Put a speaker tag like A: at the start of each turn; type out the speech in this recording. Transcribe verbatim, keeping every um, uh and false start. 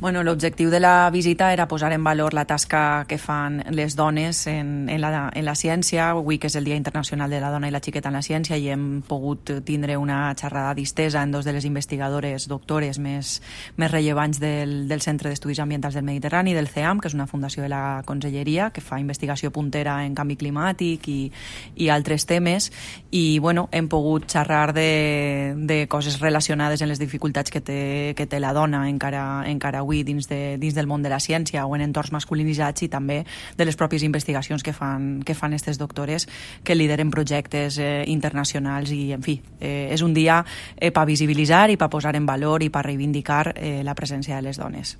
A: Bueno, l'objectiu de la visita era posar en valor la tasca que fan les dones en, en, la, en la ciència. Avui que és el Dia Internacional de la Dona i la Xiqueta en la Ciència i hem pogut tindre una xerrada distesa en dos de les investigadores doctores més, més rellevants del, del Centre d'Estudis Ambientals del Mediterrani, del C E A M, que és una fundació de la Conselleria que fa investigació puntera en canvi climàtic i, i altres temes. I bueno, hem pogut xerrar de, de coses relacionades en les dificultats que té, que té la dona encara, encara avui dins, de, dins del món de la ciència o en entorns masculinitzats i també de les pròpies investigacions que fan que fan aquestes doctores que lideren projectes eh, internacionals i, en fi, eh, és un dia eh, per visibilitzar i per posar en valor i per reivindicar eh, la presència de les dones.